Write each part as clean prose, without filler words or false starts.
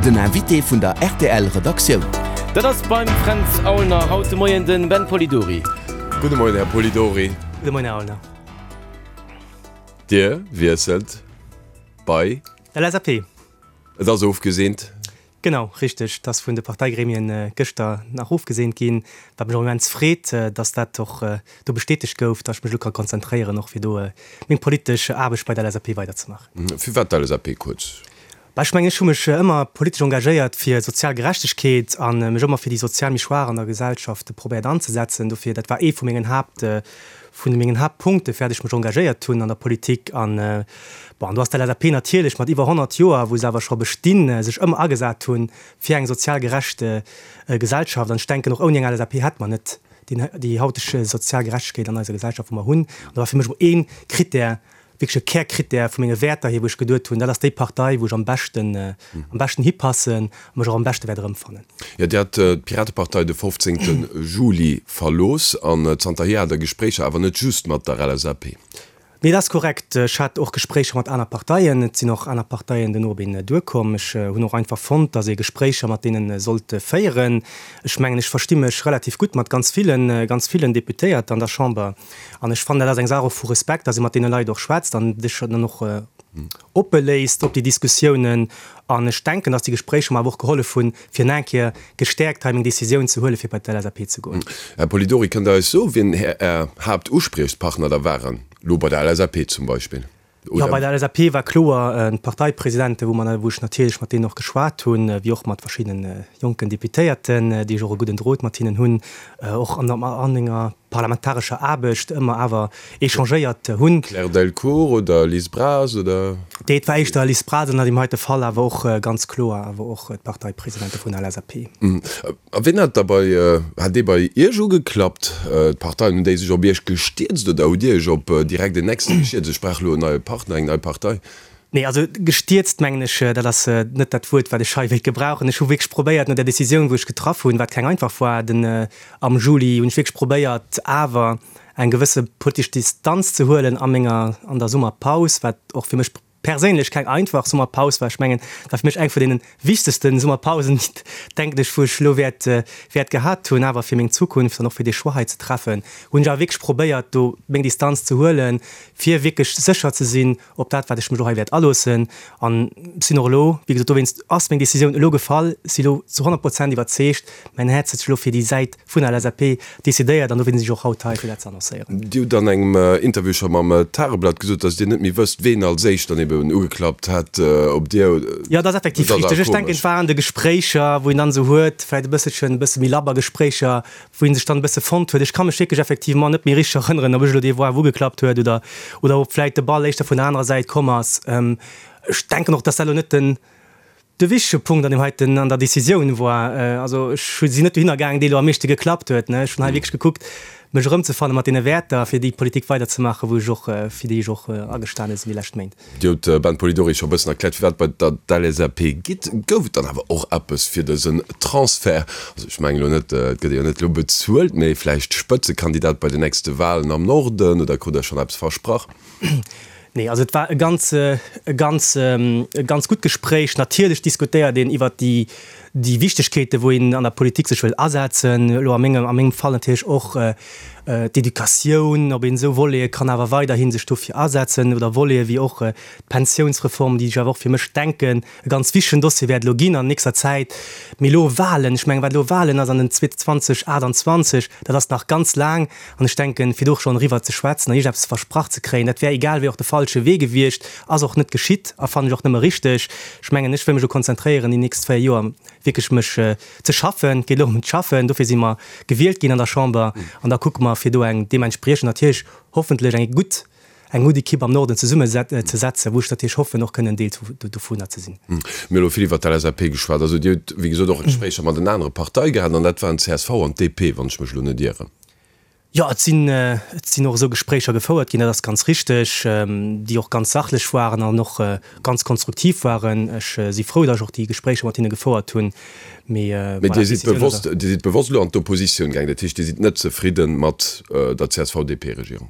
Den Invité vun der rtl Redaktioun. Dat ass beim Fränz Aulner haut de Moien den Ben Polidori. Gudde Moien, Här Polidori. Gudde Moien, Här Aulner. Dir wiesselt bei. D'LSAP. Et ass ofgeseent. Genau, richteg. Et ass vun de Parteigremien gëschter nach ofgeseent ginn, wat mech och immens freet, dass dat och do bestätegt gouf, dass ech mech elo ka konzentréieren, och fir do meng politesch Aarbecht bei der LSAP weiderzemaachen. Firwat d'LSAP kuerz? Bah, ech mengen, ech hu mech ëmmer politesch engagéiert fir sozial Gerechtegkeet a mech ëmmer fir déi sozial méi Schwaach an der Gesellschaft probéiert anzesetzen. Dofir, dat war ee vu mengen Haapt, vun mengen Haaptpunkte fir dat ech mech engagéiert hunn an der Politik. An, bon, an do ass d'LSAP natierlech mat iwwer 100 Joer, wou se awer scho bestinn, sech ëmmer agesat hunn fir eng sozial gerecht Gesellschaft. An ech denken, och ouni eng LSAP hätt mer net déi hauteg sozial Gerechtegkeet an eiser Gesellschaft, wou mer hunn. An do war fir mech emol ee Krittär, wierklech e Kärkrittär vu menge Wäerter hier, wou ech geduet hunn, dat ass déi Partei, wou ech am beschten, am beschten hipassen a mech och am beschte wäert erëmfannen. Jo, Dir hat d'Piratepartei de 15. Juli verlooss an zanterhier hat Der Gespréicher, awer net just mat der LSAP. Nee, dat ass korrekt. Ech hat och Gespréicher mat aner Parteien. Et sinn och aner Parteien duerno op een duerkomm. Ech hunn och einfach fonnt, datt ee Gespréicher mat deene sollt féieren. Ech mengen, ech versti mech relativ gutt mat ganz villen, ganz villen Deputéierte an der Chamber. An ech fannen, dat ass eng Saach och vu Respekt, dass ee mat deene Leit och schwätzt an sech dann och oppe léisst op déi Diskussiounen. An ech denken, dass déi Gespréicher mer awer och gehollef hunn, fir nach eng Kéier gestäerkt hei meng Décisioun ze huelen, fir bei d'LSAP ze goen. Här Polidori, kënnt Der eis soen, wien Är Haaptuspriechpartner da waren, elo bei der LSAP zum Beispill? Jo, bei der LSAP war kloer d'Parteipresidenten, wou mer, wou ech natierlech mat deenen och geschwat hunn, wéi och mat verschiddene jonken Deputéierten, déi ech och e gudden Drot mat hinnen hunn, och an der an enger parlamentarescher Aarbecht ëmmer awer échangéiert hunn. Claire Delcourt oder Liz Braz oder? Nee, et war éischter Liz Braz an deem heite Fall, awer och ganz kloer awer och d'Parteipresidente vun der LSAP. A wien hat da bei, hat dee bei Iech ugeklappt? D'Parteien, hunn déi sech op Iech gestierzt oder hutt Dir Iech op direkt en nächste gestierzt, ech brauch elo en neie Partner, eng nei Partei? Nee, also gestierzt mengen ech, dat ass net dat Wuert, wat ech hei wéilt gebrauchen. Ech hu wierklech probéiert, no där Décisioun, wou ech getraff hunn, wat keng einfach war, den am Juli, hunn ech wierklech probéiert, awer eng gewësse politesch Distanz ze huelen a menger, an der Summerpaus, wat och fir mech perséinlech keng einfach Summerpaus war. Ech mengen, et war fir mech eng vun deene wichtegste Summerpausen, denken ech, wou ech elo wäert, wäert gehat hunn. Awer fir meng Zukunft an och fir dee Choix hei ze treffen, hunn ech awer wierklech probéiert, do meng Distanz ze huelen, fir wierklech sécher ze sinn op dat, wat ech mech elo hei wäert aloossen. An sinn och elo, wéi gesot, dowéinst ass meng Decisioun elo gefall, si elo zu 100 Prozent iwwerzeegt, mäin Häerz huet sech elo fir déi Säit vun der LSAP decidéiert an dofir sinn ech och haut hei, fir dat ze annoncéieren. Dir hutt an engem Interview scho mam Tageblatt gesot, datt Dir net méi wësst, ween als éischt dann eben ugeklappt hätt op Dir. Jo, dat ass effektiv richteg. Ech denken, et war an de Gespréicher, wou een dann esou huet, vläicht e bësselchen, e bësse méi labber Gespréicher, wou ee sech dann e bësse fonnt huet. Ech ka mech wierklech effectivement net méi richteg erënneren, ob ech elo dee war, wou ugeklappt huet oder, oder ob vläicht de Ball éischter vun der anerer Säit komm ass. Ech denken och, datt dat elo net den, De wichtege Punkt an deem heiten, an der Decisioun war, also ech hu sinn net dohinner gaangen, dee elo am meeschte geklappt huet, ne. Ech hunn hei wierklech gekuckt, mech erëmzefanne mat deene Wäerter, fir déi Politik weiderzemaachen, wou ech och, fir déi ech och agestane sinn déi lescht Méint. Dir hutt, Ben Polidori, scho e bëssen erkläert, firwat bei der d'LSAP gitt. Gouf et dann awer och eppes fir dësen Transfert? Also ech mengen elo net, et gëtt ee jo net elo bezuelt, mee vläicht Spëtzekandidat bei den nächste Walen am Norden, oder krut Der schonn eppes versprach? Nee, also et war e ganz, e ganz, e ganz gutt Gespréich. Natierlech diskutéiert een iwwert déi, déi Wichtegkeeten, wou een an der Politik sech wëll asetzen. Elo a mengem, a mengem Fall natierlech och d'Educatioun, ob een esou Volete kann awer weiderhi sech dofir asetzen oder Volete wéi och d'Pensiounsreform, déi ech awer och fir mech denken, e ganz wichtegen Dossier wäert elo ginn an nächster Zäit. Mee elo Wahlen, ech mengen, wat elo Wahlen ass an den 2028, dat ass nach ganz laang. An ech denken, fir do schonn eriwwer ze schwätzen an iergendeppes versprach ze kréien, dat wär egal wéi och de falsche Wee gewiescht, ass och net geschitt a fannen ech och nëmme richteg. Ech mengen, ech wëll mech elo konzentréieren déi nächst 4 Joer wierklech mech ze schaffen. Et geet elo ëm d'Schaffen, dofir si mer gewielt ginn an der Chamber an da kucke mer, fir do eng deementspriechend natierlech hoffentlech eng gutt eng gutt Ekipp am Norden zesummen ze setzen, wou ech natierlech hoffen, och kënnen Deel dovunner ze sinn. Mir hu elo vill iwwert d'LSAP geschwat. Also Dir hutt, wéi gesot, och Gespréicher mat den anere Parteie gehat, an dat waren csv an d'DP, wann ech mech elo net ieren. Jo, et sinn, et sinn och esou Gespréicher gefouert ginn, dat ass ganz richteg, déi och ganz sachlech waren an och ganz konstruktiv waren. Ech si frou, datt ech och déi Gespréicher mat hinne gefouert hunn. Mee voilà, Dir sidd bewosst, Dir sidd bewosst elo an d'Oppositioun gaangen, dat heescht, Dir sidd net zefridde mat der CSV-DP-Regierung?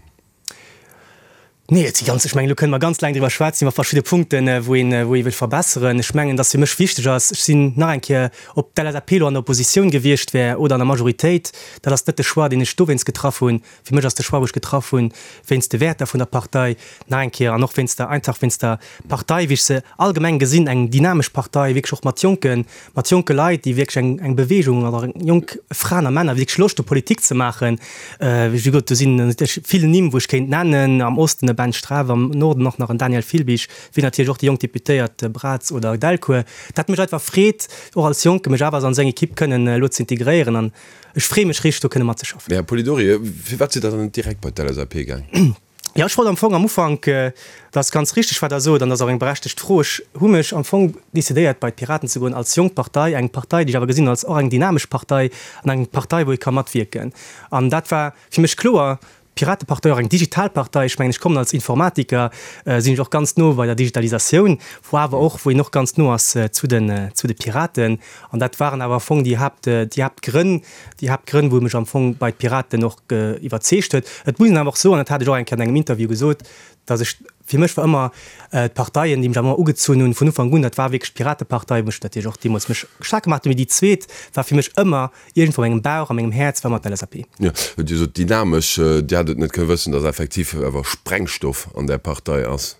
Nee, et si ganz, ech mengen, elo kënne mer ganz laang driwwer schwätzen, iwwer verschidde Punkten, wou een, wou ee wëllt verbesseren. Ech mengen, dass fir mech wichteg ass, ech sinn nach eng Kéier, ob d'LSAP elo an der Oppositioun gewiescht wär oder an der Majoritéit, dat ass net de Choix, deen ech dowéinst getraff hunn. Fir mech ass de Choix, wou ech getraff hunn, wéinst de Wäerter vun der Partei, nach eng Kéier, an och wéinst der, einfach wéinst der Partei, wéi ech se allgemeng gesinn, eng dynamesch Partei, wierklech och mat jonken, mat jonke Leit, déi wierklech eng, eng Bewegung oder jonk Fraen a Männer, wierklech Loscht hu Politik ze maachen. Wéi gesot, do sinn natierlech vill Nimm, wou ech kéint nennen, am Osten e Ben Streff, am Norden och nach en Daniel Filbig, wéi natierlech och déi jonk Deputéiert Braz oder Delcourt. Dat mécht einfach Freed, och als Jonke mech awer an esou eng Ekipp kënnen elo ze integréieren an ech freeë mech richteg, do kënne matzeschaffen. Här Polidori, firwat sidd Der dann net direkt bei d'LSAP gaang? Jo, ech wollt am Fong am Ufank, dat ass ganz richteg, wat Der sot, an dat ass och eng berechtegt Fro, ech hu mech am Fong decidéiert, bei d'Piraten ze goen als jonk Partei, eng Partei, déi ech awer gesinn als och eng dynamesch Partei an eng Partei, wou ee ka matwierken. An dat war fir mech kloer, d'Piratepartei, och eng digital Partei, ech mengen, ech kommen als Informatiker, sinn ech och ganz no bei der Digitalisatioun, wou awer och, wou een och ganz no ass zu den, zu de Piraten. An dat waren awer am Fong déi Haapt, déi Haaptgrënn, déi Haaptgrënn, wou mech am Fong bei d'Piraten och iwwerzeegt huet. Et muss een awer och soen, dat hat ech och eng Kéier an engem Interview gesot, datt ech, fir mech war ëmmer d'Parteien, déi mech awer ëmmer ugezunn hunn vun Ufank un, dat war wierklech d'Piratepartei, wou ech natierlech och deemools mech staark gemaach hunn, mee déi zweet war fir mech ëmmer iergendwou a mengem Bauch, a mengem Häerz war ëmmer d'LSAP. Jo, Dir sot dynamesch, Dir hätt et net kënne wëssen, datt effektiv awer Sprengstoff an där Partei ass.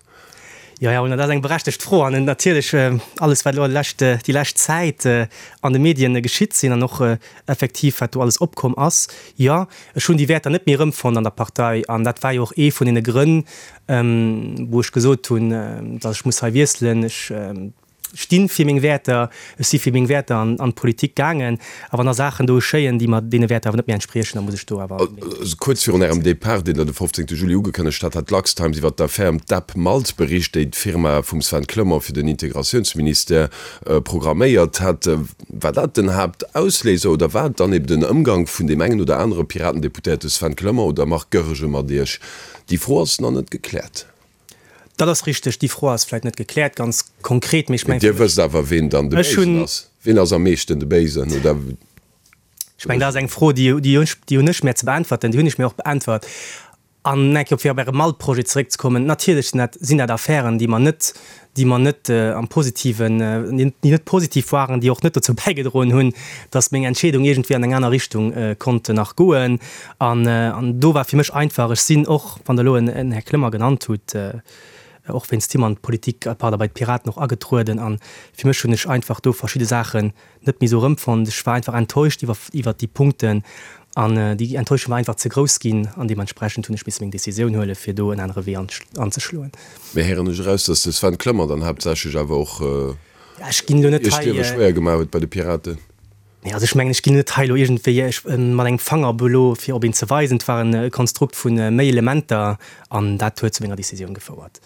Jo, jo, dat ass eng berechtegt Fro. An natierlech alles, wat elo lescht, déi lescht Zäit an de Medien geschitt sinn an och effektiv wat do alles opkomm ass, jo, ech hunn déi Wäerter net méi erëmfonnt an der Partei. An dat war jo och ee vun deene Grënn, wou ech gesot hunn, datt ech muss hei wiesselen. Ech stinn fir meng Wäerter, ech si fir meng Wäerter an d'Politik gaangen, a wann da Saachen do geschéien, déi mer deene Wäerter awer net méi entspriechen, da muss ech do awer meng. Kuerz virun Ärem Depart, deen Der de 15 Juli ugekënnegt hat, hat d'LuxTimes iwwer d'Affär ëm d'App Malt bericht, déi d'Firma vum Sven Clement fir den Integratiounsministère programméiert hat. War dat den Haaptausléiser oder war et dann eben den Ëmgang vun deem engen oder anere Piratendeputéierte Sven Clement oder Marc Goergen mat Iech? Déi Fro ass nach net gekläert. Dat ass richteg, déi Fro ass vläicht net gekläert ganz konkret, mee ech mengen. Dir wësst awer, ween dann de Béisen ass. Ween ass am meeschten de Béisen, oder? Ech mengen, dat ass eng Fro, déi déi hunn ech mär ze beäntwerten, déi hunn ech mir och beäntwert. An eng Kéier, fir op Äre Malt-Projet zeréckzekommen, Natierlech sinn dat sinn dat Affären, déi mer net, déi mer net am Positiven, déi net positiv waren, déi och net dozou bäigedroen hunn, datt meng Entscheedung iergendwéi an eng aner Richtung konnt nach goen. An an do war fir mech einfach, ech sinn och, wann Der elo en Här Clement genannt hutt, och wéinst him an d'Politik, pardon, bei d'Piraten och agetrueden. A fir mech hunn ech einfach do verschidde Saachen net méi esou erëmfonnt. Ech war einfach enttäuscht iwwer iwwer déi Punkten an déi Enttäuschung war einfach ze grouss ginn an deementsprechend hunn ech misse meng Décisioun huelen, fir do en anere Wee anzeschloen. Mee héieren ech eraus, datt de Sven Clement dann haaptsächlech awer och Ech ginn elo net Iech d'Liewe hei. schwéier gemaach huet bei de Piraten? Nee, also ech mengen, ech ginn net hei elo iergendwéi mat engem Fanger op elo fir op een ze weisen. Et war e Konstrukt vu méi Elementer an dat huet zu menger Decisioun gefouert.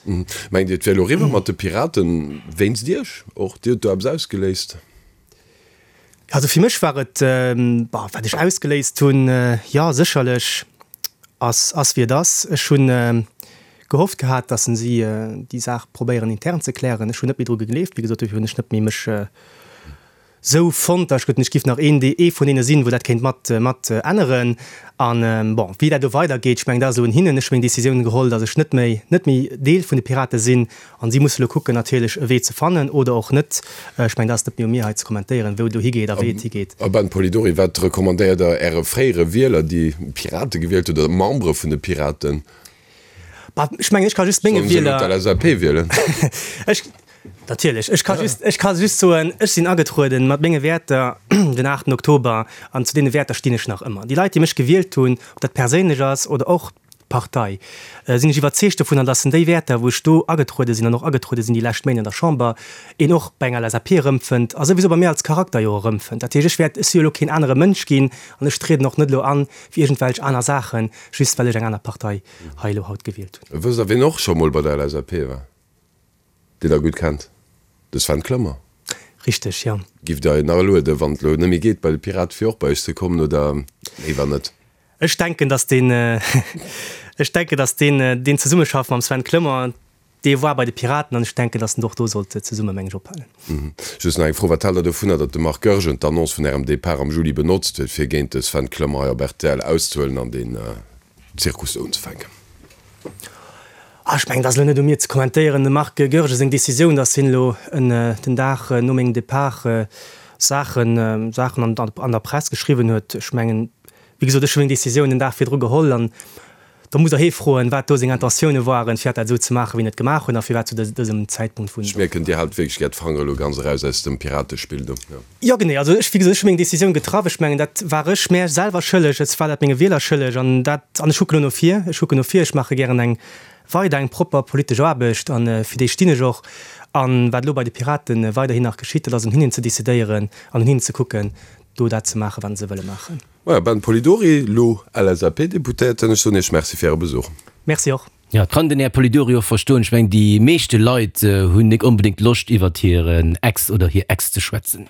Mengt Dir, et wär elo eriwwer mat de Piraten wéinst Iech och? Dir hutt do eppes ausgeléist? Also fir mech war et, bah, wat ech ausgeléist hunn, jo sécherlech ass ass wéi et ass. Ech hunn gehofft gehat, datt si déi Saach probéieren intern ze klären. Ech hunn net méi dru gegleeft, wéi gesot, dofir hunn ech net méi mech Sou fonnt, ech gëtt, ech giff nach een, dee ee vun deene sinn, wou dat kéint mat, mat änneren. An, bon, wéi dat elo weidergeet, ech mengen, dat ass elo un hinnen. Ech hu meng Décisioun geholl, datt ech net méi, net méi Deel vun de Pirate sinn. An si musse elo kucken natierlech, e Wee ze fannen oder och net. Ech mengen, dat ass net méi u mir hei ze kommentéieren, wou et elo higeet a wéi et higeet. A Ben Polidori, wat recommandéiert Der Äre fréiere Wieler, déi Pirate gewielt hunn, oder Membere vun de Piraten? Bah, ech mengen, ech ka just menge Wieler. Sollen se elo d'LSAP wielen? Ech, natierlech, ech ka just, ech ka just soen, ech sinn agetrueden mat menge Wäerter den aachten Oktober an zu deene Wäerter stinn ech nach ëmmer. Déi Leit, déi mech gewielt hunn, ob dat perséinlech ass oder och d'Partei, sinn ech iwwerzeegt dovunner, dass en déi Wäerter, wou ech do agetruede sinn an och agetruede sinn déi lescht Méint an der Chamber, een och bei enger LSAP erëmfënnt a souwisou bei mir als Charakter jo erëmfënnt. Dat heescht, ech wäert, ech si jo elo keen anere Mënsch ginn an ech trieden och net elo an fir iergendwelch aner Saachen, just well ech eng aner Partei hei elo haut gewielt hunn. Wësst Der, wien och scho mol bei der LSAP war, deen Der gutt kennt? De Sven Clement. Richteg, jo. Giff Der en nach alueden, wann et elo net méi geet bei de Pirate, fir och bei iech ze kommen, oder léiwer net? Ech denken, datt deen, ech denken, datt deen, deen Zesummeschaffen mam Sven Clement, Dee war bei de Piraten an ech denken, datt en och do sollt zesumme meng ech ophalen. Just nach eng Fro, Wat haalt Der dovunner, datt de Marc Goergen d'Annonce vun Ärem Depart am Juli benotzt huet, fir géint de Sven Clement hei op rtl auszehuelen an deen Zirkus do unzefänken? Ech mengen, et ass elo net u mir ze kommentéieren. Dem Marc Goergen seng Decisioun, datt hien elo den Dag no mengem Depart Saachen Saachen an der Press geschriwwen huet, ech mengen, wéi gesot, ech hu meng Decisioun den Dag virdru geholl an da musst Der hie froen, wat do seng Intentioune waren, firwat dat esou ze maachen, wéi en et gemaach huet a firwat zu dësem Zäitpunkt vun. Ech mierken, Dir haalt wierklech gär d'Fangere elo ganz eraus aus dem Piratespill do. Jo, genee. Also ech, wéi gesot, ech hu meng Decisioun getraff. Ech mengen, dat war ech mär selwer schëlleg, ech war dat menge Wieler schëlleg an dat, an ech kucken elo no vir, ech kucken no vir, ech maache gären eng weider eng propper politesch Aarbecht an fir déi stinn ech och. An wat elo bei de Piraten weiderhin nach geschitt, dat ass un hinnen ze decidéieren an un hinnen ze kucken, do dat ze maachen, wat se wëlle maachen. Maja, Ben Polidori, elo LSAP-Deputéierten, ech soen Iech Merci fir Äre Besuch. Merci och. Jo, et kann den Här Polidori och verstoen. Ech mengen, déi meeschte Leit hunn nik onbedéngt Loscht iwwert hiren Ex oder hir Ex ze schwätzen.